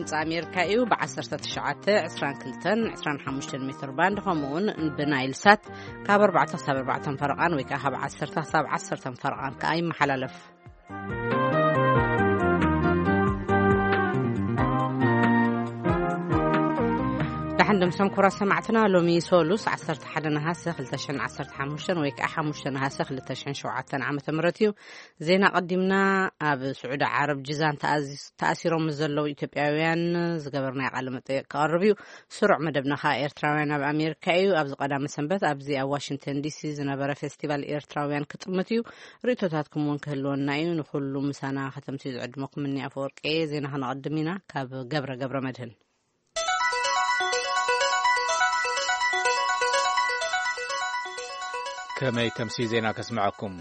ድምፂ ኣሜሪካ እዩ። ብ1922 ሜትር ባንድ፣ ከምኡውን ብናይል ሳት ካብ ኣርባዕተ ክሳብ ኣርባዕተ ፈረቓን ወይ ከዓ ካብ ዓሰርተ ክሳብ ዓሰርተ ፈረቓን ከዓ ይመሓላለፍ። ደሓን ድምሶም ክቡራት ሰማዕትና፣ ሎሚ ሶሉስ ዓሰርተ ሓደ ነሃሰ ክልተ ሽሕን ዓሰርተ ሓሙሽተን ወይ ከዓ ሓሙሽተ ነሃሰ ክልተ ሽሕን ሸውዓተን ዓመተ ምህረት እዩ። ዜና ቀዲምና። ኣብ ስዑዲ ዓረብ ጅዛን ተኣዚ-፣ ተኣሲሮም ዘለዉ ኢትዮጵያውያን ዝገበርናዮ ቃለ መጠየቅ ክቐርብ እዩ። ስሩዕ መደብና ከዓ ኤርትራውያን ኣብ ኣሜሪካ እዩ። ኣብዚ ቀዳመ ሰንበት ኣብዚ ኣብ ዋሽንግተን ዲሲ ዝነበረ ፌስቲቫል ኤርትራውያን ክጥምት እዩ። ርእቶታትኩም እውን ክህልወና እዩ። ንኩሉ ምሳና ከተምስዩ ዝዕድመኩም እኒ ኣፈወርቂ። ዜና ክነቐድም ኢና። ካብ ገብረ ገብረ መድህን። ከመይ ተምሲ ዜና ከስምዐኩም።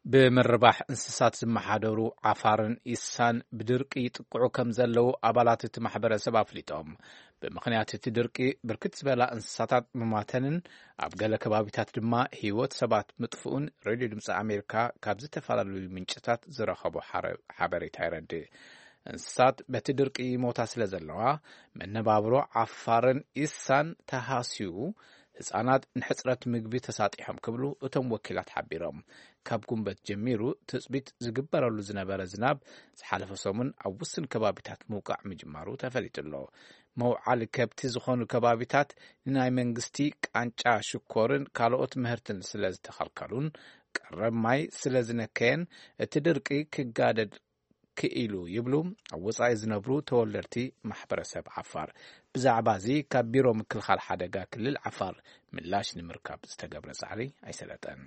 ብምርባሕ እንስሳት ዝመሓደሩ ዓፋርን ኢሳን ብድርቂ ይጥቅዑ ከም ዘለዉ ኣባላት እቲ ማሕበረሰብ ኣፍሊጦም። ብምኽንያት እቲ ድርቂ ብርክት ዝበላ እንስሳታት ምማተንን ኣብ ገለ ከባቢታት ድማ ህይወት ሰባት ምጥፍኡን ሬድዮ ድምፂ ኣሜሪካ ካብ ዝተፈላለዩ ምንጭታት ዝረኸቦ ሓረ-፣ ሓበሬታ የረድእ። እንስሳት በቲ ድርቂ ይሞታ ስለ ዘለዋ፣ መነባብሮ ዓፋርን ኢሳን ተሃስዩ፣ ህጻናት ንሕጽረት ምግቢ ተሳጢሖም ክብሉ እቶም ወኪላት ሓቢሮም። ካብ ጉንበት ጀሚሩ ትጽቢት ዝግበረሉ ዝነበረ ዝናብ ዝሓለፈ ሰሙን ኣብ ውስን ከባቢታት ምውቃዕ ምጅማሩ ተፈሊጡ ኣሎ። መውዓሊ ከብቲ ዝኾኑ ከባቢታት ንናይ መንግስቲ ቃንጫ ሽኮርን ካልኦት ምህርትን ስለ ዝተኸልከሉን ቀረብ ማይ ስለ ዝነከየን እቲ ድርቂ ክጋደድ ክኢሉ ይብሉ ኣብ ወጻኢ ዝነብሩ ተወለድቲ ማሕበረሰብ ዓፋር። ብዛዕባ እዚ ካብ ቢሮ ምክልኻል ሓደጋ ክልል ዓፋር ምላሽ ንምርካብ ዝተገብረ ጻዕሪ ኣይሰለጠን።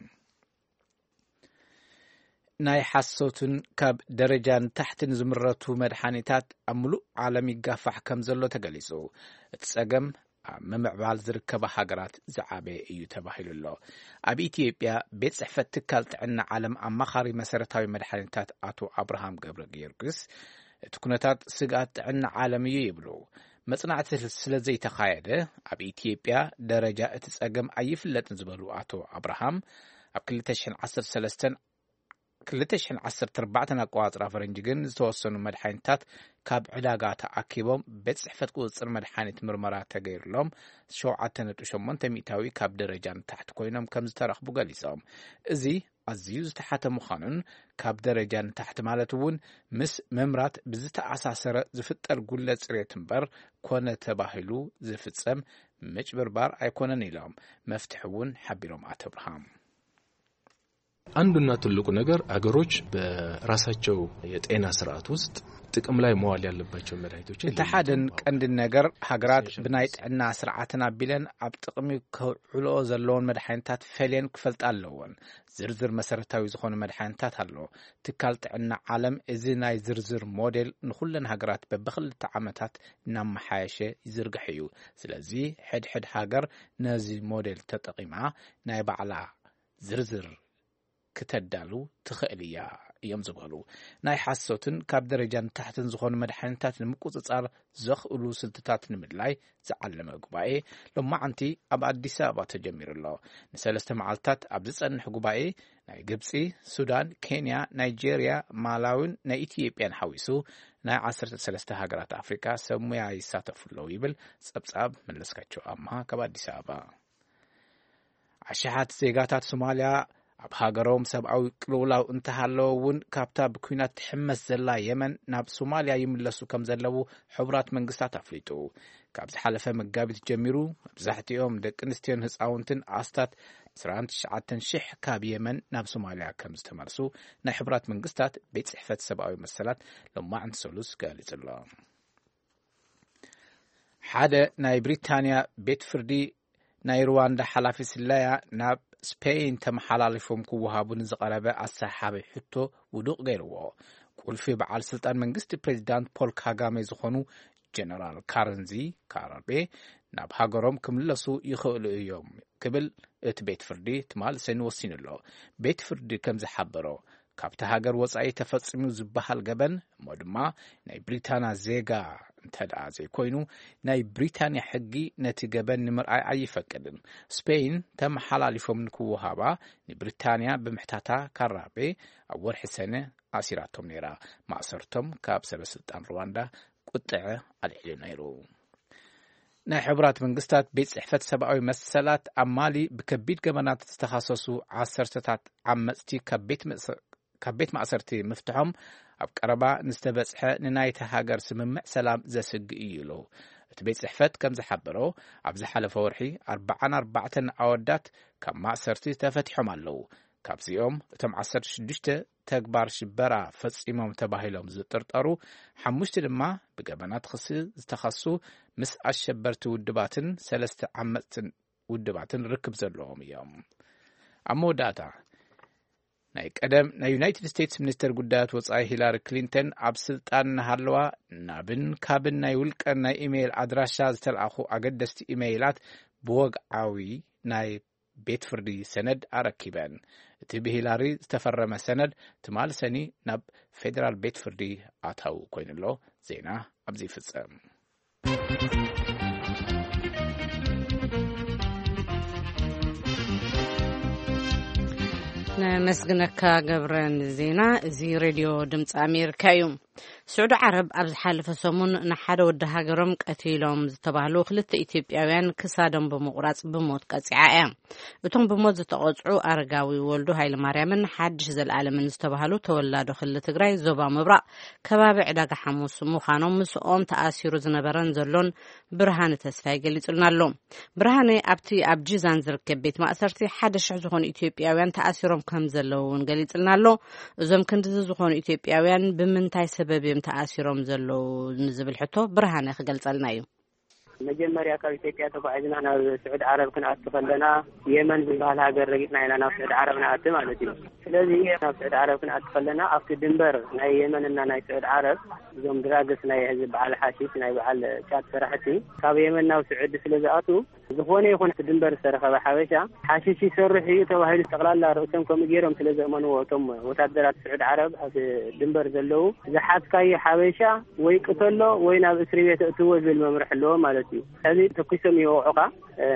ናይ ሓሶትን ካብ ደረጃ ንታሕትን ዝምረቱ መድሓኒታት ኣብ ምሉእ ዓለም ይጋፋሕ ከም ዘሎ ተገሊጹ። እቲ ጸገም ኣብ ምምዕባል ዝርከባ ሃገራት ዝዓበየ እዩ ተባሂሉ ኣሎ። ኣብ ኢትዮጵያ ቤት ጽሕፈት ትካል ጥዕና ዓለም ኣማኻሪ መሰረታዊ መድሓኒታት ኣቶ ኣብርሃም ገብረ ጊዮርጊስ፣ እቲ ኩነታት ስግኣት ጥዕና ዓለም እዩ ይብሉ። መጽናዕቲ ስለ ዘይተኻየደ ኣብ ኢትዮጵያ ደረጃ እቲ ጸገም ኣይፍለጥን ዝበሉ ኣቶ ኣብርሃም፣ ኣብ ክልተ ሽሕን ዓሰርተ ሰለስተን ክልተ ሽሕን ዓሰርተ ኣርባዕተን ኣቆጻጽራ ፈረንጂ ግን ዝተወሰኑ መድሓኒታት ካብ ዕዳጋ ተኣኪቦም ቤት ጽሕፈት ቁጽጽር መድሓኒት ምርመራ ተገይሩሎም ሸውዓተ ነጥቢ ሸሞንተ ሚእታዊ ካብ ደረጃ ንታሕቲ ኮይኖም ከም ዝተረኽቡ ገሊጾም። እዚ ኣዝዩ ዝተሓተ ምዃኑን ካብ ደረጃ ንታሕቲ ማለት እውን ምስ ምምራት ብዝተኣሳሰረ ዝፍጠር ጉለ ጽሬት እምበር ኮነ ተባሂሉ ዝፍጸም ምጭብርባር ኣይኮነን ኢሎም መፍትሒ እውን ሓቢሮም ኣቶ ኣብርሃም። አንዱና ትልቁ ነገር አገሮች በራሳቸው የጤና ስርዓት ውስጥ ጥቅም ላይ መዋል ያለባቸው መድኃኒቶችን እቲ ሓደን ለይተው ቀንድን ነገር ሃገራት ብናይ ጥዕና ስርዓትን ኣቢለን ኣብ ጥቕሚ ከውዕልኦ ዘለዎን መድሓኒታት ፈልየን ክፈልጣ ኣለዎን። ዝርዝር መሰረታዊ ዝኾኑ መድሓኒታት ኣሎ። ትካል ጥዕና ዓለም እዚ ናይ ዝርዝር ሞዴል ንኹለን ሃገራት በብኽልተ ዓመታት እናመሓየሸ ይዝርግሕ እዩ። ስለዚ ሕድሕድ ሃገር ነዚ ሞዴል ተጠቒማ ናይ ባዕላ ዝርዝር ክተዳሉ ትኽእል እያ እዮም ዝበሉ። ናይ ሓሶትን ካብ ደረጃ ንታሕትን ዝኾኑ መድሓኒታት ንምቁጽጻር ዘኽእሉ ስልትታት ንምድላይ ዝዓለመ ጉባኤ ሎማዓንቲ ኣብ ኣዲስ ኣበባ ተጀሚሩ ኣሎ። ንሰለስተ መዓልታት ኣብ ዝጸንሕ ጉባኤ ናይ ግብጺ፣ ሱዳን፣ ኬንያ፣ ናይጄርያ፣ ማላዊን ናይ ኢትዮጵያን ሓዊሱ ናይ ዓሰርተ ሰለስተ ሃገራት ኣፍሪቃ ሰብ ሙያ ይሳተፉ ኣለዉ ይብል ጸብጻብ መለስካቸው ኣምሃ ካብ ኣዲስ ኣበባ። ኣሽሓት ዜጋታት ሶማልያ ኣብ ሃገሮም ሰብኣዊ ቅልውላው እንተሃለወ እውን ካብታ ብኲናት ትሕመስ ዘላ የመን ናብ ሶማልያ ይምለሱ ከም ዘለዉ ሕቡራት መንግስታት ኣፍሊጡ። ካብ ዝሓለፈ መጋቢት ጀሚሩ መብዛሕትኦም ደቂ ኣንስትዮን ህፃውንትን ኣስታት ዕስራን ትሽዓተን ሽሕ ካብ የመን ናብ ሶማልያ ከም ዝተመልሱ ናይ ሕቡራት መንግስታት ቤት ጽሕፈት ሰብኣዊ መሰላት ሎማዕንቲ ሰሉስ ገሊጹ ኣሎ። ሓደ ናይ ብሪታንያ ቤት ፍርዲ ናይ ሩዋንዳ ሓላፊ ስለያ ናብ ስፔይን ተመሓላሊፎም ክወሃቡ ንዝቐረበ ኣሰሓቢ ሕቶ ውዱቕ ገይርዎ። ቁልፊ በዓል ስልጣን መንግስቲ ፕሬዚዳንት ፖል ካጋሜ ዝኾኑ ጀነራል ካረንዚ ካራቤ ናብ ሃገሮም ክምለሱ ይኽእሉ እዮም ክብል እቲ ቤት ፍርዲ ትማል ሰኒ ወሲኑ ኣሎ። ቤት ፍርዲ ከም ዝሓበሮ፣ ካብቲ ሃገር ወጻኢ ተፈጺሙ ዝበሃል ገበን እሞ ድማ ናይ ብሪታንያ ዜጋ እንተ ደኣ ዘይኮይኑ፣ ናይ ብሪታንያ ሕጊ ነቲ ገበን ንምርኣይ ኣይፈቅድን። ስፔይን ተመሓላሊፎም ንክወሃባ ንብሪታንያ ብምሕታታ ካራቤ ኣብ ወርሒ ሰነ ኣሲራቶም ነይራ። ማእሰርቶም ካብ ሰበ ስልጣን ሩዋንዳ ቁጥዐ ኣልዒሉ ነይሩ። ናይ ሕቡራት መንግስታት ቤት ጽሕፈት ሰብኣዊ መሰላት ኣብ ማሊ ብከቢድ ገበናት ዝተኸሰሱ ዓሰርተታት ዓመጽቲ ካብ ቤት መእሰ-፣ ካብ ቤት ማእሰርቲ ምፍትሖም ኣብ ቀረባ ንዝተበጽሐ ንናይቲ ሃገር ስምምዕ ሰላም ዘስግእ እዩ ኢሉ። እቲ ቤት ጽሕፈት ከም ዝሓበሮ፣ ኣብ ዝሓለፈ ወርሒ ኣርብዓን ኣርባዕተን ኣወዳት ካብ ማእሰርቲ ተፈቲሖም ኣለዉ። ካብዚኦም እቶም ዓሰርተ ሽዱሽተ ተግባር ሽበራ ፈጺሞም ተባሂሎም ዝጥርጠሩ፣ ሓሙሽተ ድማ ብገበናት ክሲ ዝተኸሱ ምስ ኣሸበርቲ ውድባትን ሰለስተ ዓመጽትን ውድባትን ርክብ ዘለዎም እዮም። ኣብ መወዳእታ፣ ናይ ቀደም ናይ ዩናይትድ ስቴትስ ሚኒስተር ጉዳያት ወጻኢ ሂላሪ ክሊንተን ኣብ ስልጣን እናሃለዋ ናብን ካብን ናይ ውልቀን ናይ ኢሜይል ኣድራሻ ዝተለኣኹ ኣገደስቲ ኢሜይላት ብወግዓዊ ናይ ቤት ፍርዲ ሰነድ ኣረኪበን። እቲ ብሂላሪ ዝተፈረመ ሰነድ ትማሊ ሰኒ ናብ ፌደራል ቤት ፍርዲ ኣታዊ ኮይኑሎ። ዜና ኣብዚ ይፍጸም። ነመስግነካ ገብረ ንዜና። እዚ ሬድዮ ድምፂ ኣሜሪካ እዩ። ስዑዲ ዓረብ ኣብ ዝሓለፈ ሰሙን ንሓደ ወዲ ሃገሮም ቀቲሎም ዝተባህሉ ክልተ ኢትዮጵያውያን ክሳዶም ብምቑራፅ ብሞት ቀፂዓ እያ። እቶም ብሞት ዝተቐፅዑ ኣረጋዊ ወልዱ ሃይለማርያምን ሓድሽ ዘለኣለምን ዝተባህሉ ተወላዶ ክልል ትግራይ ዞባ ምብራቕ ከባቢ ዕዳጋ ሓሙስ ምዃኖም ምስኦም ተኣሲሩ ዝነበረን ዘሎን ብርሃነ ተስፋይ ገሊጹልና ኣሎ። ብርሃነ ኣብቲ ኣብ ጂዛን ዝርከብ ቤት ማእሰርቲ ሓደ ሽሕ ዝኾኑ ኢትዮጵያውያን ተኣሲሮም ከም ዘለዉ እውን ገሊጽልና ኣሎ። እዞም ክንድዚ ዝኾኑ ኢትዮጵያውያን ብምንታይ ሰበብ እዮም ተኣሲሮም ዘለዉ ንዝብል ሕቶ ብርሃነ ክገልጸልና እዩ። መጀመርያ ካብ ኢትዮጵያ ተጓዒዝና ናብ ስዑድ ዓረብ ክንኣቱ ከለና የመን ዝበሃል ሃገር ረጊፅና ኢና ናብ ስዑድ ዓረብ ንኣቲ ማለት እዩ። ስለዚ ናብ ስዑድ ዓረብ ክንኣቲ ከለና ኣብቲ ድንበር ናይ የመንና ናይ ስዑድ ዓረብ እዞም ድራግስ ናይ ህዝቢ በዓል ሓሺሽ ናይ በዓል ጫት ሰራሕቲ ካብ የመን ናብ ስዑዲ ስለ ዝኣቱ ዝኾነ ይኹን ድንበር ዝተረኸበ ሓበሻ ሓሽሽ ይሰርሕ እዩ ተባሂሉ ጠቕላላ ርእሶም ከምኡ ገይሮም ስለ ዘእመንዎ እቶም ወታደራት ስዑድ ዓረብ ኣብ ድንበር ዘለዉ ዝሓዝካዮ ሓበሻ ወይ ቅተሎ ወይ ናብ እስሪ ቤት እእትዎ ዝብል መምርሒ ኣለዎ ማለት እዩ። ሕዚ ተኩሶም ይወቕዑኻ።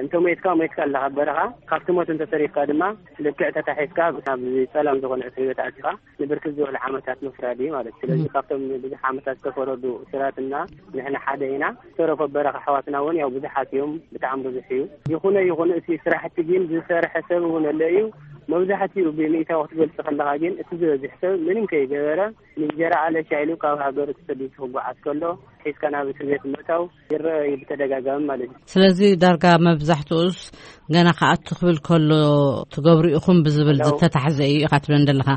እንተ ሞትካ ሞትካ ኣለኻ በረኻ ካብቲ ሞት እንተተሪፍካ ድማ ልክዕ ተታሒዝካ ናብ ጸላም ዝኾነ እስሪ ቤት ኣቲኻ ንብርክት ዝበሉ ዓመታት ምፍራድ እዩ ማለት እዩ። ስለዚ ካብቶም ብዙሕ ዓመታት ዝተፈረዱ እሱራትና ንሕና ሓደ ኢና። ዝተረፈ በረኻ ኣሕዋትና እውን ያው ብዙሓት እዮም፣ ብጣዕሚ ብዙሕ እዩ። ይኹነ ይኹን እቲ ስራሕቲ ግን ዝሰርሐ ሰብ እውን ኣሎ እዩ። መብዛሕትኡ ብሚእታዊ ክትገልጽ ከለኻ ግን እቲ ዝበዝሕ ሰብ ምንም ከይገበረ ንእንጀራ ኣለሻ ኢሉ ካብ ሃገሩ ተሰዲዱ ክጓዓዝ ከሎ ሒዝካ ናብ እስር ቤት ምእታው ይረአ እዩ ብተደጋጋሚ ማለት እዩ። ስለዚ ዳርጋ መብዛሕትኡስ ገና ክኣቱ ክብል ከሎ ትገብሩ ኢኹም ብዝብል ዝተታሕዘ እዩ ኢኻ ትብለን ዘለኻ።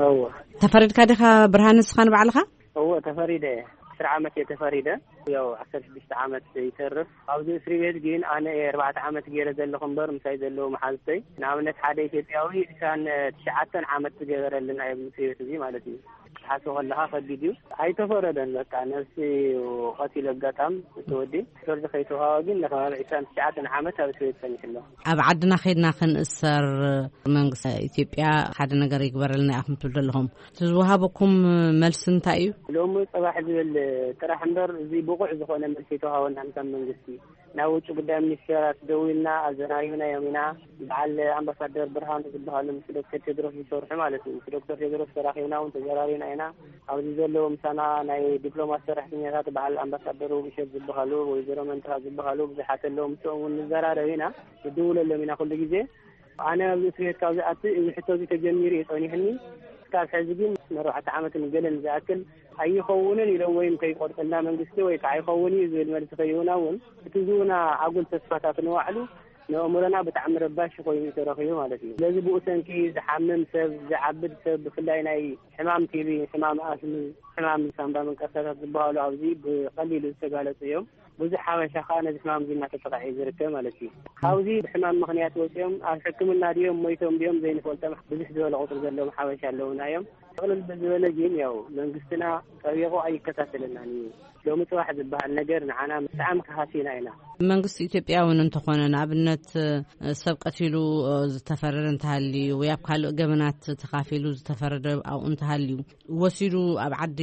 እወ። ተፈሪድካ ዲኻ ብርሃን ንስኻ ንባዕልኻ? እወ ተፈሪደ እየ። ዕስራ ዓመት እየ ተፈሪደ። ያው ዓሰርተ ሽዱሽተ ዓመት ይተርፍ ኣብዚ እስሪ ቤት ግን ኣነ እየ ኣርባዕተ ዓመት ገይረ ዘለኹ እምበር ምሳይ ዘለዉ መሓዝተይ ንኣብነት ሓደ ኢትዮጵያዊ ዕስራን ትሽዓተን ዓመት ዝገበረልና ኣብዚ እስሪ ቤት እዚ ማለት እዩ። ክትሓስቦ ከለኻ ከቢድ እዩ። ኣይተፈረደን በቃ ነብሲ ቀቲሉ ኣጋጣም እቲ ወዲ ፍርዲ ከይተዋሃቦ ግን ንከባቢ ዕስራን ትሽዓተን ዓመት ኣብ እስር ቤት ጸኒሑ ኣሎ። ኣብ ዓድና ከይድና ክንእሰር መንግስቲ ኢትዮጵያ ሓደ ነገር ይግበረልና ኢኹም ትብሉ ዘለኹም። እቲ ዝወሃበኩም መልሲ እንታይ እዩ? ሎሚ ጽባሕ ዝብል ጥራሕ እምበር እዚ ብቑዕ ዝኾነ መልሲ ኣይተዋሃበናን ካብ መንግስቲ። ናብ ውጭ ጉዳይ ሚኒስቴራት ደዊልና ኣዘራሪብናዮም ኢና። በዓል ኣምባሳደር ብርሃኑ ዝበሃሉ ምስ ዶክተር ቴድሮስ ዝሰርሑ ማለት እዩ። ምስ ዶክተር ቴድሮስ ተራኺብና እውን ተዘራሪብና ኢና። ኣብዚ ዘለዉ ምሳና ናይ ዲፕሎማት ሰራሕተኛታት በዓል ኣምባሳደር ውብሸት ዝበሃሉ፣ ወይዘሮ መንትኻ ዝበሃሉ ብዙሓት ኣለዉ። ምስኦም እውን ንዘራረብ ኢና፣ ንድውለሎም ኢና ኩሉ ግዜ። ኣነ ኣብዚ እስር ቤት ካብ ዝኣቲ እዚ ሕቶ እዚ ተጀሚሩ እዩ ጸኒሕኒ። እስካብ ሕዚ ግን ንኣርባዕተ ዓመትን ገለን ዝኣክል ኣይኸውንን ኢሎም ወይም ከይቆርጠልና መንግስቲ ወይ ከዓ ኣይኸውን እዩ ዝብል መልሲ ከይህቡና እውን እቲ ዝህቡና ኣጉል ተስፋታት ንባዕሉ ንኣእምሮና ብጣዕሚ ረባሺ ኮይኑ እዩ ተረኺቡ ማለት እዩ። ስለዚ ብኡ ሰንኪ ዝሓምም ሰብ፣ ዝዓብድ ሰብ ብፍላይ ናይ ሕማም ቲቢ፣ ሕማም ኣስሚ፣ ሕማም ሳምባ መንቀሳታት ዝበሃሉ ኣብዚ ብቐሊሉ ዝተጋለፁ እዮም። ብዙሕ ሓበሻ ከዓ ነዚ ሕማም እዚ እናተጠቕዐ እዩ ዝርከብ ማለት እዩ። ካብዚ ብሕማም ምኽንያት ወፂኦም ኣብ ሕክምና ድዮም ሞይቶም ድዮም ዘይንፈልጦም ብዙሕ ዝበለ ቁፅሪ ዘለዎም ሓበሻ ኣለውና እዮም። ጥቕልል ብዝበለ ግን ያው መንግስትና ጠቢቑ ኣይከታተለናን እዩ። ሎሚ ፅባሕ ዝበሃል ነገር ንዓና ብጣዕሚ ከሃሲና ኢና። መንግስቲ ኢትዮጵያ እውን እንተኾነ ንኣብነት ሰብ ቀቲሉ ዝተፈረደ እንተሃልዩ ወይ ኣብ ካልእ ገበናት ተኻፊሉ ዝተፈረደ ኣብኡ እንተሃልዩ ወሲዱ ኣብ ዓዲ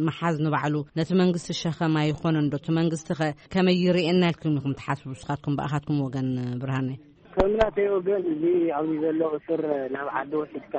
ምሓዝ ንባዕሉ ነቲ መንግስቲ ሸኸም ኣይኾነን ዶ? እቲ መንግስቲ ኸ ከመይ ይርእየና ኢልኩም ኢኹም ትሓስቡ ንስኻትኩም ብኣኻትኩም ወገን ብርሃነ? ከም ናተይ ወገን፣ እዚ ኣብዚ ዘሎ እስር ናብ ዓዲ ወሲድካ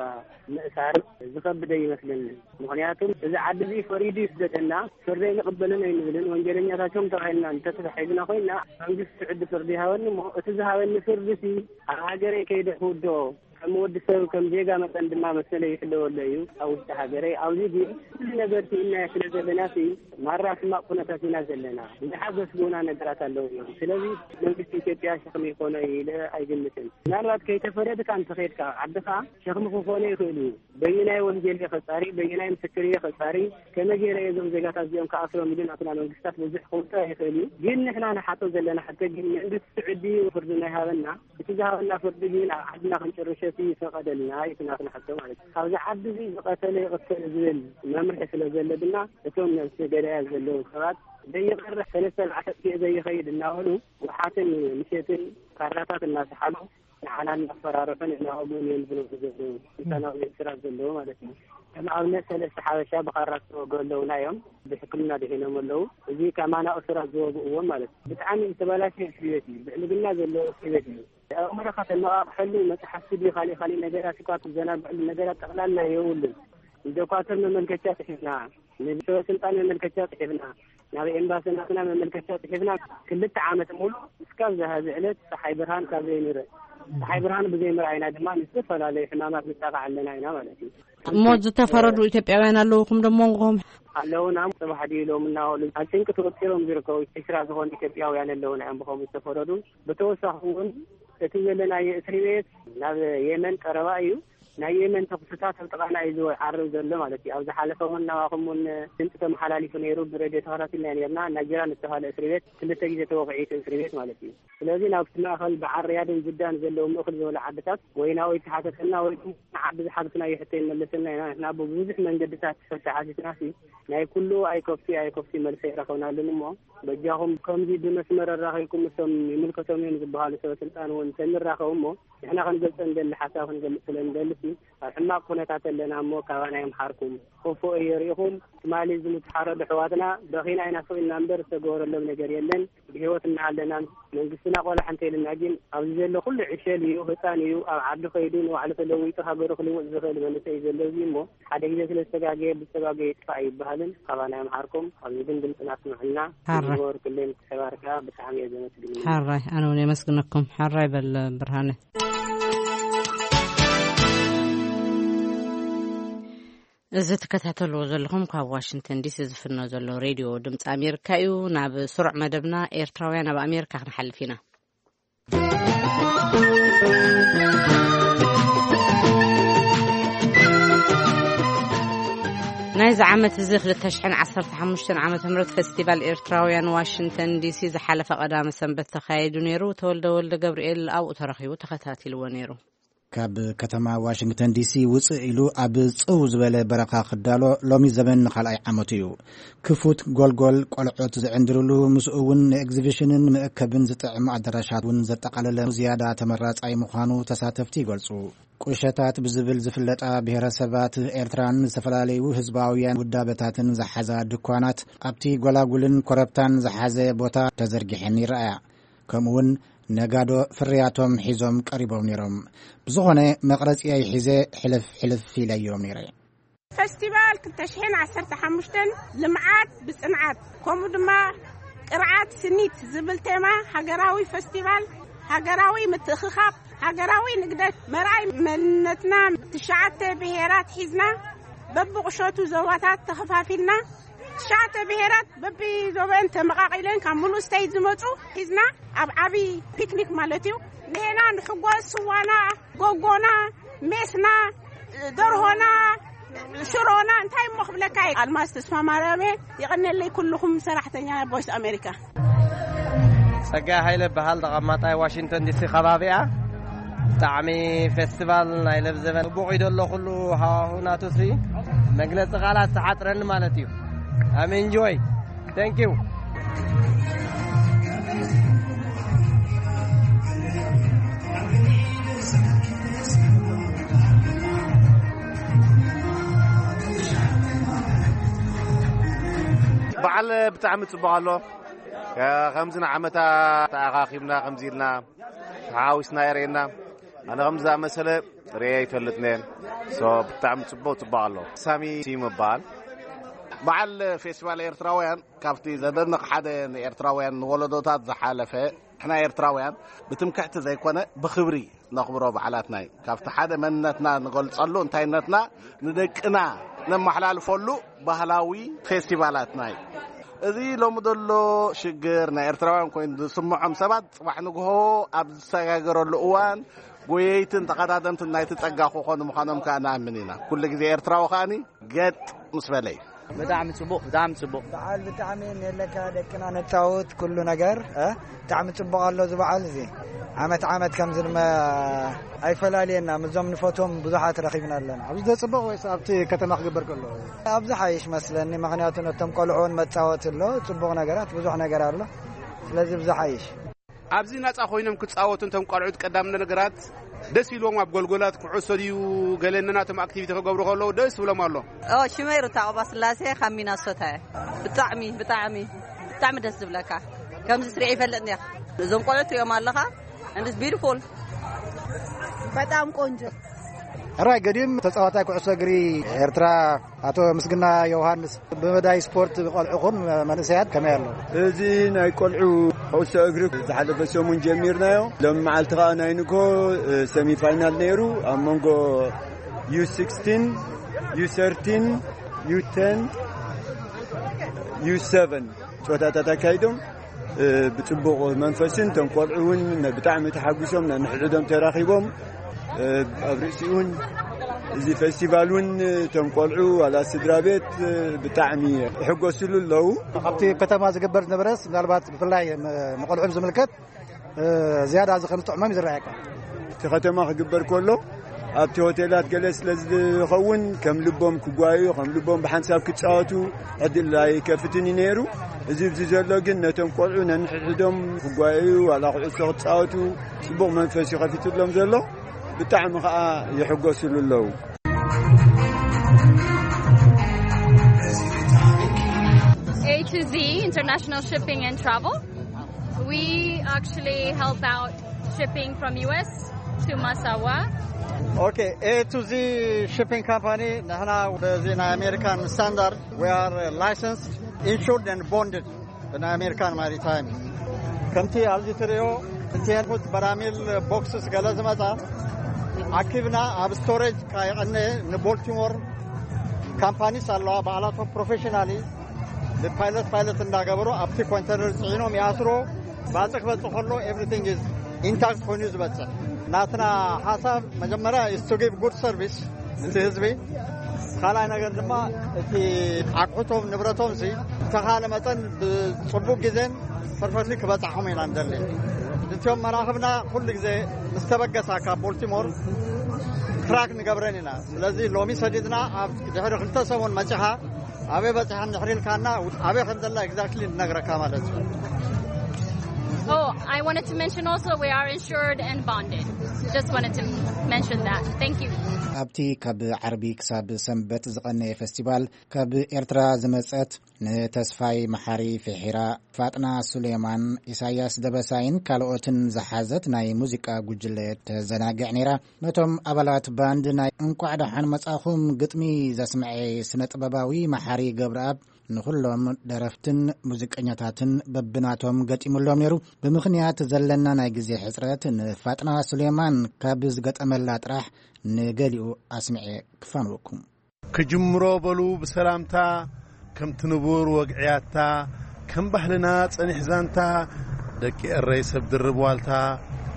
ምእሳር ዝኸብደ ይመስለኒ። ምኽንያቱም እዚ ዓዲ እዚ ፈሪዱ ይስደደና፣ ፍርደይ ንቕበልን ኣይንብልን። ወንጀለኛታቶም ተባሂልና እንተተታሒዝና ኮይና፣ መንግስቲ ስዑዲ ፍርዲ ይሃበኒ እሞ፣ እቲ ዝሃበኒ ፍርዲ ሲ ኣብ ሃገረይ ከይደ ክውድኦ፣ ከም ወዲ ሰብ፣ ከም ዜጋ መጠን ድማ መሰለይ ይሕለወለይ እዩ ኣብ ውሽጢ ሃገረይ። ኣብዚ ግን ኩሉ ነገር ስኢናዮ ስለ ዘለና ሲ፣ ማራ ሕማቕ ኩነታት ኢና ዘለና። ብዙሓት ዘስግኡና ነገራት ኣለዉ እዮም። ስለዚ መንግስቲ ኢትዮጵያ ሸኽሚ ይኾኖ ኢለ ኣይግምትን። ምናልባት ከይተፈረድካ እንተኸድካ ዓድኻ ሸኽሚ ክኾኖ ይኽእል እዩ። በየናይ ወንጀል እየ ከጻሪ፣ በየናይ ምስክር እየ ከጻሪ፣ ከመይ ገይረ እየ እዞም ዜጋታት እዚኦም ክኣስሮም ኢሉ ናትና መንግስታት ብዙሕ ክውጥር ይኽእል እዩ። ግን ንሕና ንሓቶ ዘለና ሕቶ ግን መንግስቲ ስዑዲ ፍርዲ ናይ ሃበና፣ እቲ ዝሃበና ፍርዲ ግን ኣብ ዓድና ክንጭርሸት ይፈቐደልና እዩ ናትና ሕቶ ማለት እዩ። ካብዚ ዓዲ እዚ ዝቐተለ ይቕተል ዝብል መምርሒ ስለ ዘሎ ድማ እቶም ነብሲ ገዳያት ዘለዉ ሰባት ዘይቐርሕ ሰለስተ መዓልቲ ዘይኸይድ እናበሉ ጉሓትን ምሸትን ካራታት እናሰሓሉ ንዓና እናፈራርሑን እናወግኡን እዮም ዝነብሩ ዘለዉ። ስልጣናዊ ኤርትራ ዘለዉ ማለት እዩ። ከም ኣብነት ሰለስተ ሓበሻ ብኻራ ዝተወግኡ ኣለዉና እዮም። ብሕክምና ድሒኖም ኣለዉ። እዚ ካብ ማና እሱራት ዝወግእዎም ማለት እዩ። ብጣዕሚ ዝተበላሸ እስር ቤት እዩ። ብዕልግና ዘለዎ እስር ቤት እዩ። ኣእምሮኻ ተነቓቕሐሉ መጽሓፍቲ ድዩ ካልእ ካልእ ነገራት እኳ ትዘናግዐሉ ነገራት ጠቕላላ የብሉን። ንዶኳተር መመልከቻ ጽሒፍና፣ ንሰበ ስልጣን መመልከቻ ጽሒፍና፣ ናብ ኤምባሲ ናትና መመልከቻ ጽሒፍና፣ ክልተ ዓመት ሙሉ እስካብ ዝሃዚ ዕለት ጸሓይ ብርሃን ካብ ዘይንርኢ፣ ጸሓይ ብርሃን ብዘይምርኣይና ድማ ንዝተፈላለዩ ሕማማት ንጣቃዕ ኣለና ኢና ማለት እዩ። እሞ ዝተፈረዱ ኢትዮጵያውያን ኣለውኹም ዶ መንጎኹም? ኣለውና። ጽባሕ ድዩ ሎም እናበሉ ኣብ ጭንቂ ተወጢሮም ዝርከቡ ዕስራ ዝኾኑ ኢትዮጵያውያን ኣለውና እዮም ብኸምኡ ዝተፈረዱ። ብተወሳኺ እውን እቲ ዘለናዮ እስሪ ቤት ናብ የመን ቀረባ እዩ። ናይ የመን ተኹስታት ኣብ ጥቓና እዩ ዝዓርብ ዘሎ ማለት እዩ። ኣብ ዝሓለፈ እውን ናባኹም እውን ድምፂ ተመሓላሊፉ ነይሩ፣ ብሬድዮ ተኸታቲልና ነርና። ናጅራን ዝተባሃለ እስሪ ቤት ክልተ ግዜ ተወቕዒ እቲ እስሪ ቤት ማለት እዩ። ስለዚ ናብቲ ማእኸል በዓል ሪያድን ጅዳን ዘለዉ ምእኹል ዝበሉ ዓድታት ወይ ናብኡ ይተሓተተልና ወይ ድማ ንዓዲ ዝሓተትናዮ ሕቶ ይመለሰልና ኢና። ንሕና ብብዙሕ መንገድታት ሕቶ ሓቲትና ሲ ናይ ኩሉ ኣይከፍቲ ኣይከፍቲ መልሲ ኣይረኸብናሉን እሞ በጃኹም ከምዚ ብመስመር ኣራኺብኩም ምስቶም ይምልከቶም እዮም ዝበሃሉ ሰበ ስልጣን እውን ተንራኸቡ እሞ ንሕና ክንገልጾ ንደሊ ሓሳብ ክንገልጽ ስለ ንደሊ ሲ ኣብ ሕማቕ ኩነታት ኣለና እሞ ካባና ይምሓርኩም። ክፉእ የርእኹም። ትማሊ ዝሙት ሓረዱ ኣሕዋትና በኺና ኢና ስቕ ኢልና እምበር ዝተገበረሎም ነገር የለን። ብህይወት እናሃለናን መንግስትና ቆላሕ እንተኢልና ግን ኣብዚ ዘሎ ኩሉ ዕሸል እዩ፣ ህፃን እዩ። ኣብ ዓዲ ከይዱ ንባዕሉ ተለዊጡ ሃገሩ ክልውጥ ዝኽእል መንእሰይ እዩ ዘሎ። እዚ እሞ ሓደ ግዜ ስለ ዝተጋገየ ብዝተጋገየ ይጥፋእ ኣይበሃልን። ካባና ይምሓርኩም። ኣብዚ ግን ድምፅና ኣስምዑልና። ሕራይ። ዝገበርኩለይ ምትሕባር ከዓ ብጣዕሚ እየ ዘመስግን። ሕራይ፣ ኣነ እውን የመስግነኩም። ሕራይ በል ብርሃነ። እዚ ትከታተልዎ ዘለኹም ካብ ዋሽንግተን ዲሲ ዝፍኖ ዘሎ ሬድዮ ድምፂ ኣሜሪካ እዩ። ናብ ስሩዕ መደብና ኤርትራውያን ኣብ ኣሜሪካ ክንሓልፍ ኢና። ናይዚ ዓመት እዚ ክልተ ሽሕን ዓሰርተ ሓሙሽተን ዓመተ ምህረት ፈስቲቫል ኤርትራውያን ዋሽንግተን ዲሲ ዝሓለፈ ቀዳመ ሰንበት ተኻይዱ ነይሩ። ተወልደ ወልደ ገብርኤል ኣብኡ ተረኺቡ ተኸታቲልዎ ነይሩ። ካብ ከተማ ዋሽንግተን ዲሲ ውፅእ ኢሉ ኣብ ጽው ዝበለ በረኻ ክዳሎ ሎሚ ዘበን ንኻልኣይ ዓመቱ እዩ። ክፉት ጎልጎል ቆልዑት ዝዕንድርሉ፣ ምስኡ እውን ንኤግዚቢሽንን መእከብን ዝጥዕም ኣዳራሻት እውን ዘጠቓለለ ዝያዳ ተመራጻይ ምዃኑ ተሳተፍቲ ይገልጹ። ቁሸታት ብዝብል ዝፍለጣ ብሔረሰባት ኤርትራን ዝተፈላለዩ ህዝባውያን ውዳበታትን ዝሓዛ ድኳናት ኣብቲ ጎላጉልን ኮረብታን ዝሓዘ ቦታ ተዘርጊሐን ይረኣያ። ከምኡውን ነጋዶ ፍርያቶም ሒዞም ቀሪቦም ነይሮም። ብዝኾነ መቕረጺየይ ሒዘ ሕልፍ ሕልፍ ኢለዮም ነይረ። ፈስቲቫል ክልተ ሽሕን ዓሰርተ ሓሙሽተን ልምዓት ብጽንዓት ከምኡ ድማ ቅርዓት ስኒት ዝብል ቴማ ሃገራዊ ፈስቲቫል፣ ሃገራዊ ምትእኽኻብ፣ ሃገራዊ ንግደት፣ መርኣይ መንነትና ትሽዓተ ብሄራት ሒዝና በብቁሸቱ ዞባታት ተኸፋፊልና ትሽዓተ ብሄራት በብዞበን ተመቓቒለን ካብ ሙሉእ ስቴት ዝመፁ ሒዝና ኣብ ዓብዪ ፒክኒክ ማለት እዩ። ንሄና ንሕጎስ ስዋና፣ ጎጎና፣ ሜስና፣ ደርሆና፣ ሽሮና፣ እንታይ እሞ ክብለካ እየ። ኣልማዝ ተስፋ ማርያም እየ። የቐነለይ ኩልኹም ሰራሕተኛ ቮይስ ኣሜሪካ። ጸጋይ ሃይለ በሃል፣ ተቐማጣይ ዋሽንግተን ዲሲ ከባቢኣ። ብጣዕሚ ፌስቲቫል ናይ ለብዘበን ጽቡቕ እዩ ዘሎ ኩሉ ሃዋሁ ናቱሲ መግለጺ ቃላት ዝሓጽረኒ ማለት እዩ። I'm enjoy. Thank you. በዓል ብጣዕሚ ጽቡቕ ኣሎ። ከምዚ ንዓመታ ተኣኻኺብና ከምዚ ኢልና ተሓዋዊስና የርእየና። ኣነ ከም ዝኣመሰለ ርእየ ኣይፈልጥን እየ። ሶ ብጣዕሚ ጽቡቕ ጽቡቕ ኣሎ። ሳሚ ሲም ይበሃል። በዓል ፌስቲቫል ኤርትራውያን ካብቲ ዘደንቕ ሓደ ንኤርትራውያን ንወለዶታት ዝሓለፈ፣ ንሕና ኤርትራውያን ብትምክሕቲ ዘይኮነ ብኽብሪ ነኽብሮ በዓላትና እዩ። ካብቲ ሓደ መንነትና ንገልጸሉ፣ እንታይነትና ንደቅና ነመሓላልፈሉ ባህላዊ ፌስቲቫላትና እዩ። እዚ ሎሚ ዘሎ ሽግር ናይ ኤርትራውያን ኮይኑ ዝስምዖም ሰባት ጽባሕ ንግሆ ኣብ ዝሰጋገረሉ እዋን ጎየይትን ተቐዳደምትን ናይቲ ጸጋ ክኾኑ ምዃኖም ከኣ ንኣምን ኢና። ኩሉ ግዜ ኤርትራዊ ከኣኒ ገጥ ምስ በለ እዩ። ብጣዕሚ ጽቡቕ፣ ብጣዕሚ ጽቡቕ። በዓል ብጣዕሚ የለካ ደቅና ነጻውት ኩሉ ነገር፣ እ? ብጣዕሚ ጽቡቕ ኣሎ እዚ በዓል እዚ። ዓመት ዓመት ከምዚ ድማ ኣይፈላልየና፣ ምስዞም ንፈትዎም ብዙሓት ረኺብና ኣለና። ኣብዚ ዘጽብቕ ወይስ ኣብቲ ከተማ ክግበር ከሎ? ኣብዚ ሓይሽ መስለኒ፣ ምኽንያቱ ነቶም ቆልዑ እውን መጻወቲ ኣሎ፣ ጽቡቕ ነገራት፣ ብዙሕ ነገር ኣሎ። ስለዚ ብዚ ሓይሽ። ኣብዚ ናጻ ኮይኖም ክጻወቱ፣ እንቶም ቆልዑት ቀዳም ነገራት ደስ ኢልዎም ኣብ ጎልጎላት ኩዕሶ ድዩ ገለ ነናቶም ኣክቲቪቲ ክገብሩ ከለዉ ደስ ይብሎም ኣሎ። ኦ፣ ሽመይ ሩታ ቀባ ስላሴ ካብ ሚናሶታ እየ። ብጣዕሚ፣ ብጣዕሚ፣ ብጣዕሚ ደስ ዝብለካ። ከምዚ ስሪዕ ይፈልጥ እንዲያ። እዞም ቆልዑት ትሪኦም ኣለኻ? And it's beautiful። በጣም ቆንጆ። ሕራይ ገዲም ተጻዋታይ ኩዕሶ እግሪ ኤርትራ ኣቶ ምስግና ዮሃንስ፣ ብመዳይ ስፖርት ቆልዑኹም መንእሰያት ከመይ ኣሎ? እዚ ናይ ቆልዑ ኩዕሶ እግሪ ዝሓለፈ ሰሙን ጀሚርናዮ። ሎም መዓልቲ ከኣ ናይ ንግሆ፣ እ፣ ሰሚፋይናል ነይሩ። ኣብ መንጎ ዩ ሲክስቲን፣ ዩ ሰርቲን፣ ዩ ቴን፣ ዩ ሰቨን ጨወታታት ኣካይዶም። እ፣ ብጽቡቕ መንፈስን እቶም ቆልዑ እውን ብጣዕሚ ተሓጒሶም ነንሕድሕዶም ተራኺቦም፣ እ፣ ኣብ ርእሲኡ እውን እዚ ፌስቲቫል እውን እቶም ቆልዑ ዋላ ስድራ ቤት፣ እ፣ ብጣዕሚ ይሕጎስሉ ኣለዉ። ኣብቲ ከተማ ዝግበር ዝነበረስ ምናልባት ብፍላይ ም-፣ ንቆልዑ ብዝምልከት፣ እ፣ ዝያዳ እዚ ከም ዝጥዕሞም እዩ ዝረኣየካ። እቲ ከተማ ክግበር ከሎ ኣብቲ ሆቴላት ገለ ስለ ዝኸውን ከም ልቦም ክጓዩ፣ ከም ልቦም ብሓንሳብ ክጻወቱ ዕድል ኣይከፍትን እዩ ነይሩ። እዚ ኣብዚ ዘሎ ግን ነቶም ቆልዑ ነንሕድሕዶም ክጓዩ፣ ዋላ ኩዕሶ ክጻወቱ ጽቡቕ መንፈስ እዩ ከፊትሎም ዘሎ። ብጣዕሚ ኸኣ ይሕጎስሉ ኣለዉ። A to Z International Shipping and Travel. We actually help out shipping from U S to Massawa. Okay, A to Z Shipping Company, ንሕና በዚ ናይ ኣሜሪካን ስታንዳርድ፣ we are licensed, insured and bonded ብናይ ኣሜሪካን ማሪታይም። ከምቲ ኣብዚ ትሪኦ፣ ኮንቴነርስ፣ በራሚል፣ ቦክስስ ገለ ዝመጻ ኣኪብና ኣብ ስቶሬጅ ከየቐነ ንቦልቲሞር ካምፓኒስ ኣለዋ፣ ባዕላቶም ፕሮፌሽናሊ ብፓይለት ፓይለት እንዳገበሩ ኣብቲ ኮንቴነር ጽዒኖም ይኣስሮ። ባጽዕ ክበጽእ ከሎ everything is intact ኮይኑ እዩ ዝበጽሕ። ናትና ሓሳብ መጀመርያ is to give good service እቲ ህዝቢ፣ ካልኣይ ነገር ድማ እቲ ኣቑሑቶም ንብረቶም ሲ ብተኻለ መጠን ብጽቡቅ ግዜን ፐርፈክትሊ ክበጻሕኹም ኢና ንደሊ። እቲኦም መራኽብና ኩሉ ግዜ ምስ ተበገሳ ካብ ቦልቲሞር ትራክ ንገብረን ኢና። ስለዚ ሎሚ ሰዲድና ኣብ ድሕሪ ክልተ ሰሙን መጺኻ ኣበይ በጺሓ እንድሕር ኢልካና ኣበይ ከም ዘላ ኤግዛክትሊ ንነግረካ ማለት እዩ። Oh, I wanted to mention also we are insured and bonded. Just wanted to mention that. Thank you. ኣብቲ ካብ ዓርቢ ክሳብ ሰንበት ዝቐነየ ፌስቲቫል ካብ ኤርትራ ዝመጸት ንተስፋይ መሓሪ ፊሒራ፣ ፋጥና ሱሌማን፣ ኢሳያስ ደበሳይን ካልኦትን ዝሓዘት ናይ ሙዚቃ ጉጅለ ተዘናግዕ ነይራ። ነቶም ኣባላት ባንድ ናይ እንቋዕ ደሓን መጻኹም ግጥሚ ዘስምዐ ስነ ጥበባዊ መሓሪ ገብረኣብ ንኹሎም ደረፍትን ሙዚቀኛታትን በብናቶም ገጢሙሎም ነይሩ። ብምኽንያት ዘለና ናይ ግዜ ሕጽረት ንፋጥና ሱሌማን ካብ ዝገጠመላ ጥራሕ ንገሊኡ ኣስምዐ ክፋንወኩም። ክጅምሮ በሉ ብሰላምታ፣ ከምቲ ንቡር ወግዕያታ፣ ከም ባህልና ጸኒሕ ዛንታ፣ ደቂ ኤረይ ሰብ ድርብ ዋልታ፣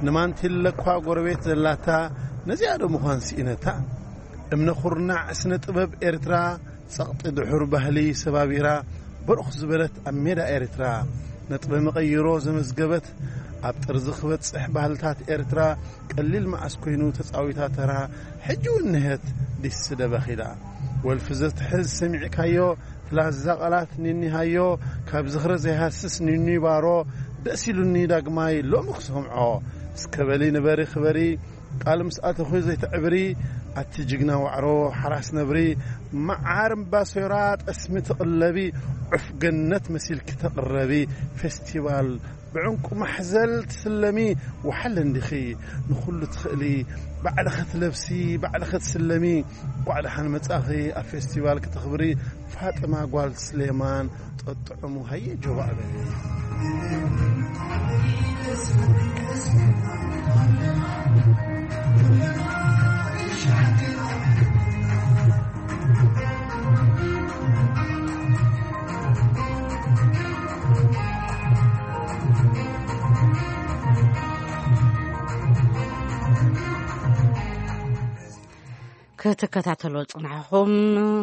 ንማንቲለ እኳ ጎረቤት ዘላታ፣ ነዚኣ ዶ ምዃን ስኢነታ? እምነ ኩርናዕ ስነ ጥበብ ኤርትራ፣ ጸቕጢ ድሑር ባህሊ ሰባቢራ፣ በርኽ ዝበለት ኣብ ሜዳ ኤርትራ፣ ነጥበ መቐይሮ ዘመዝገበት፣ ኣብ ጥርዚ ክበጽሕ ባህልታት ኤርትራ፣ ቀሊል መዓስ ኮይኑ ተጻዊታ ተራ፣ ሕጂ እውን ንሄት ዲስ ደበኺላ። ወልፊ ዘትሕዝ ሰሚዕካዮ፣ ትላዛ ቃላት ኒኒ ሃዮ፣ ካብ ዝኽሪ ዘይሃስስ ኒኒ ባሮ፣ ደስ ኢሉኒ ዳግማይ ሎሚ ክሰምዖ። እስከ በሊ ንበሪ ክበሪ፣ ቃል ምስ ኣተኹ ዘይተዕብሪ፣ ኣቲ ጅግና ዋዕሮ ሓራስ ነብሪ፣ መዓር እምባሶራ ጠስሚ ትቕለቢ፣ ዑፍ ገነት መሲልኪ ተቕረቢ፣ ፌስቲቫል ብዕንቁ ማሕዘል ትስለሚ፣ ወሓለ እንዲኺ ንኹሉ ትኽእሊ። ባዕልኺ ትለብሲ፣ ባዕልኺ ትስለሚ። እንኳዕ ደሓን መጻኺ ኣብ ፌስቲቫል ክተኽብሪ። ፋጥማ ጓል ስሌማን ጠጥዕሙ ሃየ ጆባእ በሊ። ክትከታተሎ ጽናሕኹም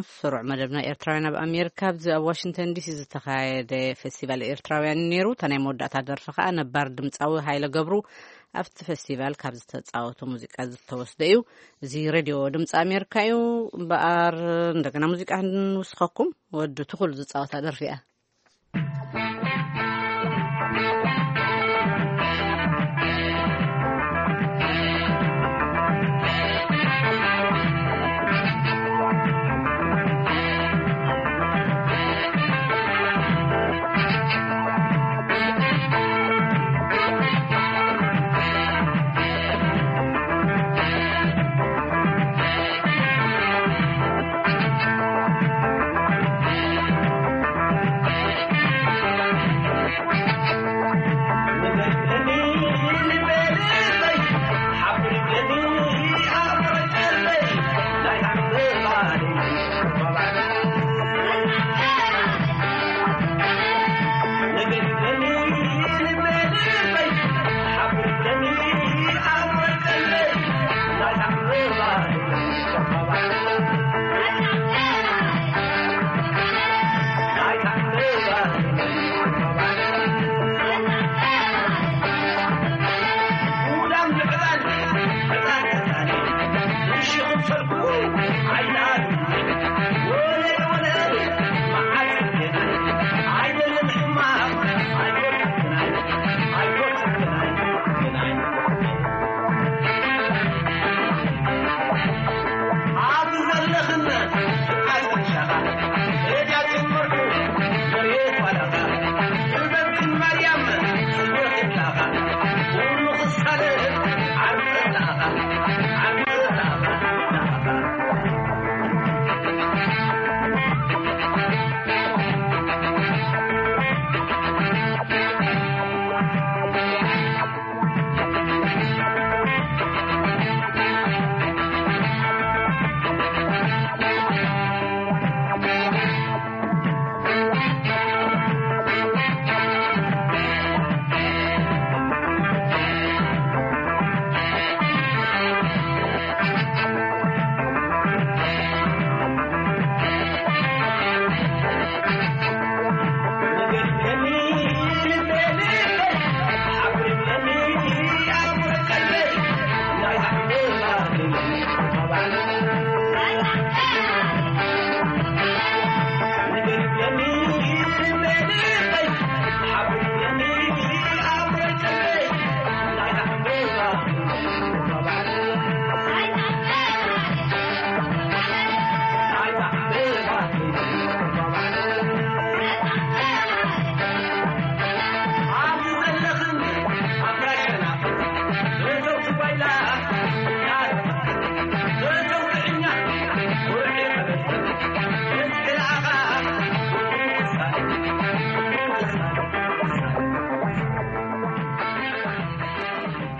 ስሩዕ መደብና ኤርትራውያን ኣብ ኣሜሪካ፣ ኣብዚ ኣብ ዋሽንግተን ዲሲ ዝተኻየደ ፌስቲቫል ኤርትራውያን እዩ ነይሩ። እታ ናይ መወዳእታ ደርፊ ከኣ ነባር ድምጻዊ ሃይለ ገብሩ ኣብቲ ፌስቲቫል ካብ ዝተጻወቶ ሙዚቃ ዝተወስደ እዩ። እዚ ሬድዮ ድምጺ ኣሜሪካ እዩ። እምበኣር እንደገና ሙዚቃ ክንውስኸኩም፣ ወዲ ትኹል ዝጻወታ ደርፊ እያ።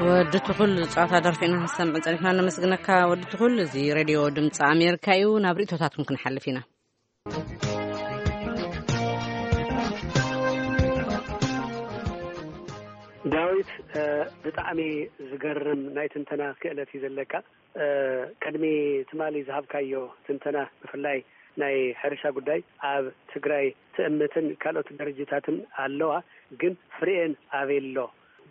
ወዲ ትኹል ጸዋታ ደርፊ ኢና ክንሰምዕ ጸኒሕና። ነመስግነካ ወዲ ትኹል። እዚ ሬድዮ ድምፂ ኣሜሪካ እዩ። ናብ ርእቶታትኩም ክንሓልፍ ኢና። ዳዊት፣ እ፣ ብጣዕሚ ዝገርም ናይ ትንተና ክእለት እዩ ዘለካ። እ፣ ቅድሚ ትማሊ ዝሃብካዮ ትንተና፣ ብፍላይ ናይ ሕርሻ ጉዳይ፣ ኣብ ትግራይ ትእምትን ካልኦት ድርጅታትን ኣለዋ፣ ግን ፍሬኤን ኣበይ ኣሎ?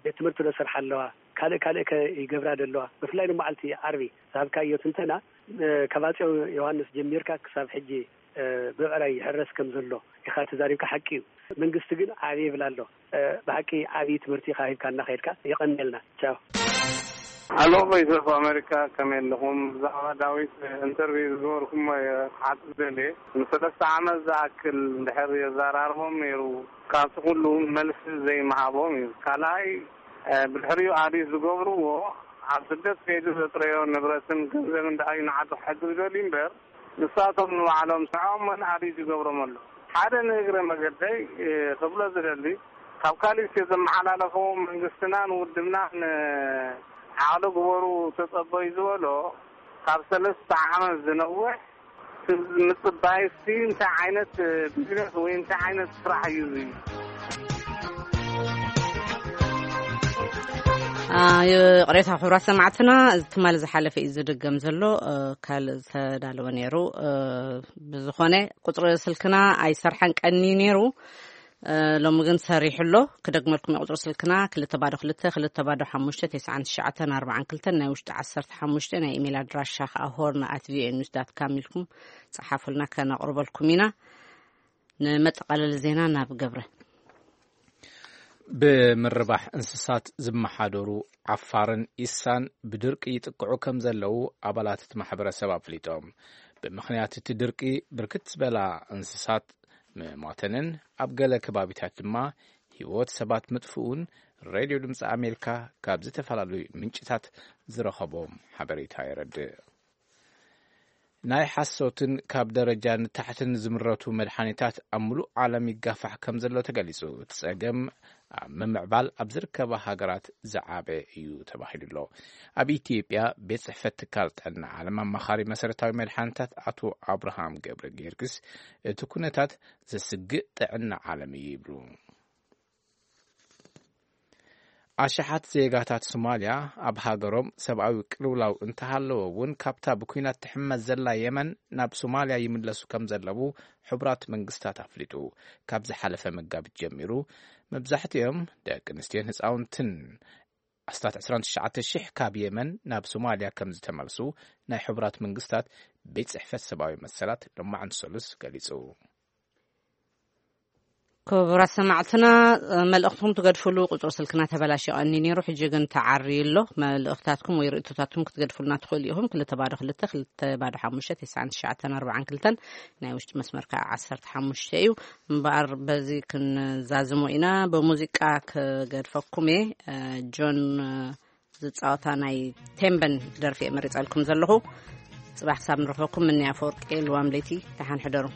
ቤት ትምህርቲ ዶ ሰርሓ ኣለዋ? ካልእ ካልእ ከ ይገብራ ዶ ኣለዋ? ብፍላይ ንመዓልቲ ዓርቢ ዝሃብካዮ ትንተና፣ እ፣ ካብ ኣፄ ዮሃንስ ጀሚርካ ክሳብ ሕጂ፣ እ፣ ብብዕራይ ይሕረስ ከም ዘሎ ኢኻ ተዛሪብካ፣ ሓቂ እዩ። መንግስቲ ግን ዓብየ ይብል ኣሎ። እ፣ ብሓቂ ዓብዪ ትምህርቲ ኢኻ ሂብካና ከይድካ። የቐንየልና። ቻው። ኣሎ። ቮይስ ኦፍ ኣሜሪካ፣ ከመይ ኣለኹም? ብዛዕባ ዳዊት ኢንተርቪው ዝገበርኩሞ እየ ክሓትት ደልየ። ንሰለስተ ዓመት ዝኣክል እንድሕር የዘራርቦም ነይሩ፣ ካብቲ ኩሉ መልሲ ዘይምሃቦም እዩ። ካልኣይ፣ እ፣ ብድሕሪኡ ኣዲት ዝገብርዎ፣ ኣብ ስደት ከይዱ ዘጥረዮ ንብረትን ገንዘብን ደኣ እዩ ንዓዱ ክሕግዝ ደልዩ እምበር፣ ንሳቶም ንባዕሎም ስርዖም መን ኣዲት ይገብሮም ኣሎ። ሓደ ንእግረ መገደይ፣ እ፣ ክብሎ ዝደሊ፣ ካብ ካልእ ዘመሓላለፎ መንግስትናን ውድብናን፣ እ፣ ዓቕሊ ግበሩ ተጸበዩ ዝበሎ፣ ካብ ሰለስተ ዓመት ዝነውሕ ምጽባይ እስቲ እንታይ ዓይነት ቢዝነስ ወይ እንታይ ዓይነት ስራሕ እዩ እዚ? አ፣ ይቕሬታ ክቡራት ሰማዕትና፣ እዚ ትማሊ ዝሓለፈ እዩ ዝድገም ዘሎ። እ፣ ካልእ ዝተዳለወ ነይሩ። እ፣ ብዝኾነ ቁጽሪ ስልክና ኣይሰርሐን ቀኒ ነይሩ። እ፣ ሎሚ ግን ሰሪሑ ኣሎ። ክደግመልኩም የቁጽሪ ስልክና ክልተ ባዶ ክልተ፣ ክልተ ባዶ ሓሙሽተ፣ ተስዓን ትሽዓተን ኣርባዓን ክልተን፣ ናይ ውሽጢ ዓሰርተ ሓሙሽተ፣ ናይ ኢሜል ኣድራሻ ከኣ ሆርን ኣት ቪኦኤ ኒውስ ዳት ካም ኢልኩም ጸሓፉልና፣ ከነቕርበልኩም ኢና። ንመጠቓለሊ ዜና ናብ ገብረ። ብምርባሕ እንስሳት ዝመሓደሩ ዓፋርን ኢሳን ብድርቂ ይጥቅዑ ከም ዘለዉ ኣባላት እቲ ማሕበረሰብ ኣፍሊጦም። ብምኽንያት እቲ ድርቂ ብርክት ዝበላ እንስሳት ምሟተንን ኣብ ገለ ከባቢታት ድማ ህይወት ሰባት ምጥፍኡን ሬድዮ ድምፂ ኣሜሪካ ካብ ዝተፈላለዩ ምንጭታት ዝረኸቦም ሓበሬታ የረድእ። ናይ ሓሶትን ካብ ደረጃ ንታሕትን ዝምረቱ መድሓኒታት ኣብ ምሉእ ዓለም ይጋፋሕ ከም ዘሎ ተገሊጹ። እቲ ጸገም ኣብ ምምዕባል ኣብ ዝርከባ ሃገራት ዝዓበ እዩ ተባሂሉ ኣሎ። ኣብ ኢትዮጵያ ቤት ጽሕፈት ትካል ጥዕና ዓለም ኣማኻሪ መሰረታዊ መድሓኒታት ኣቶ ኣብርሃም ገብረ ጊዮርጊስ፣ እቲ ኩነታት ዘስግእ ጥዕና ዓለም እዩ ይብሉ። ኣሽሓት ዜጋታት ሶማልያ ኣብ ሃገሮም ሰብኣዊ ቅልውላው እንተሃለወ እውን፣ ካብታ ብኲናት ትሕመስ ዘላ የመን ናብ ሶማልያ ይምለሱ ከም ዘለዉ ሕቡራት መንግስታት ኣፍሊጡ። ካብ ዝሓለፈ መጋቢት ጀሚሩ፣ መብዛሕትኦም ደቂ ኣንስትዮን ህፃውንትን ኣስታት ዕስራን ትሽዓተ ሽሕ ካብ የመን ናብ ሶማልያ ከም ዝተመልሱ ናይ ሕቡራት መንግስታት ቤት ጽሕፈት ሰብኣዊ መሰላት ሎማዕንቲ ሰሉስ ገሊጹ። ክቡራት ሰማዕትና፣ መልእኽትኩም ትገድፍሉ ቁጽሪ ስልክና ተበላሽዮ ቀኒ ነይሩ፣ ሕጂ ግን ተዓርዩ ኣሎ። መልእኽታትኩም ወይ ርእቶታትኩም ክትገድፉልና ትኽእሉ ኢኹም። ክልተ ባዶ ክልተ፣ ክልተ ባዶ ሓሙሽተ፣ ተስዓን ትሽዓተን ኣርባዓን ክልተን፣ ናይ ውሽጢ መስመር ከኣ ዓሰርተ ሓሙሽተ እዩ። እምበኣር በዚ ክንዛዝሞ ኢና። ብሙዚቃ ክገድፈኩም እየ። እ፣ ጆን፣ እ፣ ዝጻወታ ናይ ቴምበን ደርፊ እየ መሪጸልኩም ዘለኹ። ጽባሕ ክሳብ ንረኽበኩም፣ ምንያ ኣፈወርቂ፣ ልዋም ለይቲ፣ ደሓን ሕደሩ።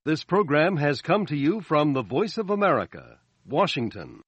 This program has come to you from the Voice of America, Washington.